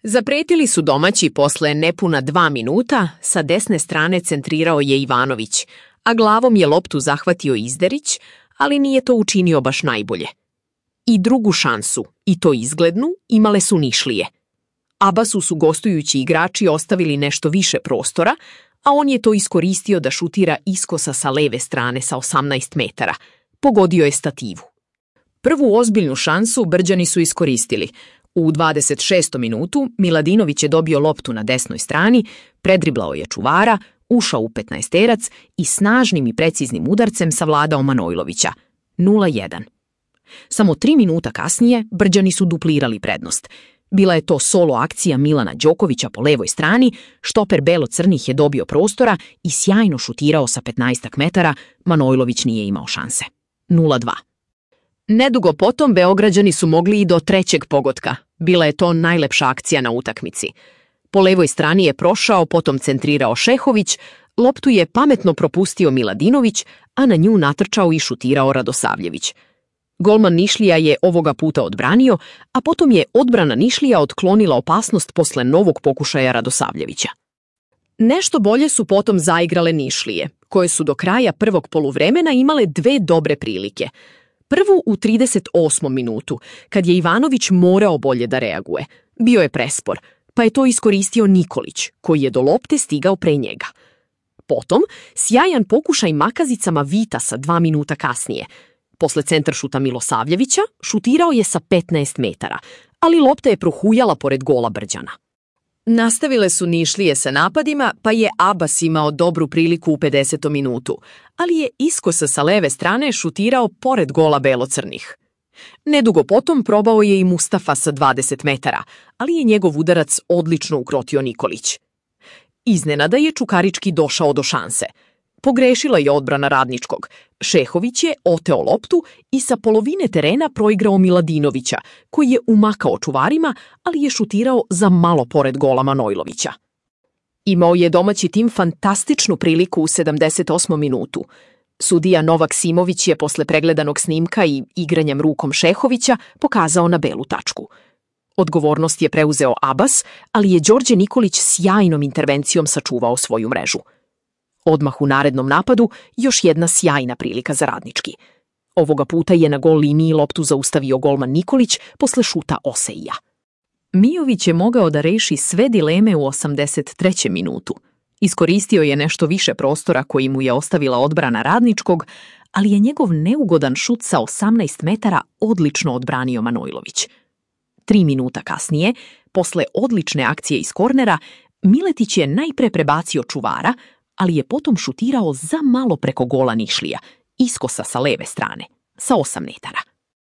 Zapretili su domaći posle nepuna 2 minuta, sa desne strane centrirao je Ivanović, a glavom je loptu zahvatio Izderić, ali nije to učinio baš najbolje. I drugu šansu, i to izglednu, imale su Nišlije. Abasu su gostujući igrači ostavili nešto više prostora, a on je to iskoristio da šutira iskosa sa leve strane sa 18 metara. Pogodio je stativu. Prvu ozbiljnu šansu Brđani su iskoristili. U 26. minutu Miladinović je dobio loptu na desnoj strani, predriblao je čuvara, ušao u 15-terac i snažnim i preciznim udarcem savladao Manojlovića. 0:1. Samo 3 minuta kasnije Brđani su duplirali prednost. Bila je to solo akcija Milana Đokovića po levoj strani, štoper belo-crnih je dobio prostora i sjajno šutirao sa 15 metara, Manojlović nije imao šanse. 0:2. Nedugo potom Beograđani su mogli i do trećeg pogotka. Bila je to najlepša akcija na utakmici. Po levoj strani je prošao, potom centrirao Šehović, loptu je pametno propustio Miladinović, a na nju natrčao i šutirao Radosavljević. Golman Nišlija je ovoga puta odbranio, a potom je odbrana Nišlija otklonila opasnost posle novog pokušaja Radosavljevića. Nešto bolje su potom zaigrale Nišlije, koje su do kraja prvog poluvremena imale 2 dobre prilike. Prvu u 38. minutu, kad je Ivanović morao bolje da reaguje. Bio je prespor, pa je to iskoristio Nikolić, koji je do lopte stigao pre njega. Potom, sjajan pokušaj makazicama Vitasa 2 minuta kasnije. Posle centaršuta Milosavljevića šutirao je sa 15 metara, ali lopta je prohujala pored gola Brđana. Nastavile su Nišlije sa napadima, pa je Abas imao dobru priliku u 50. minutu, ali je iskosa sa leve strane šutirao pored gola belocrnih. Nedugo potom probao je i Mustafa sa 20 metara, ali je njegov udarac odlično ukrotio Nikolić. Iznenada je Čukarički došao do šanse. Pogrešila je odbrana Radničkog. Šehović je oteo loptu i sa polovine terena proigrao Miladinovića, koji je umakao čuvarima, ali je šutirao za malo pored gola Manojlovića. Imao je domaći tim fantastičnu priliku u 78. minutu. Sudija Novak Simović je posle pregledanog snimka i igranjem rukom Šehovića pokazao na belu tačku. Odgovornost je preuzeo Abas, ali je Đorđe Nikolić sjajnom intervencijom sačuvao svoju mrežu. Odmah u narednom napadu još jedna sjajna prilika za Radnički. Ovoga puta je na gol liniji loptu zaustavio golman Nikolić posle šuta Oseija. Mijović je mogao da reši sve dileme u 83. minutu. Iskoristio je nešto više prostora koji mu je ostavila odbrana Radničkog, ali je njegov neugodan šut sa 18 metara odlično odbranio Manojlović. 3 minuta kasnije, posle odlične akcije iz kornera, Miletić je najpre prebacio čuvara, ali je potom šutirao za malo preko gola Nišlija, iskosa sa leve strane, sa 8 metara.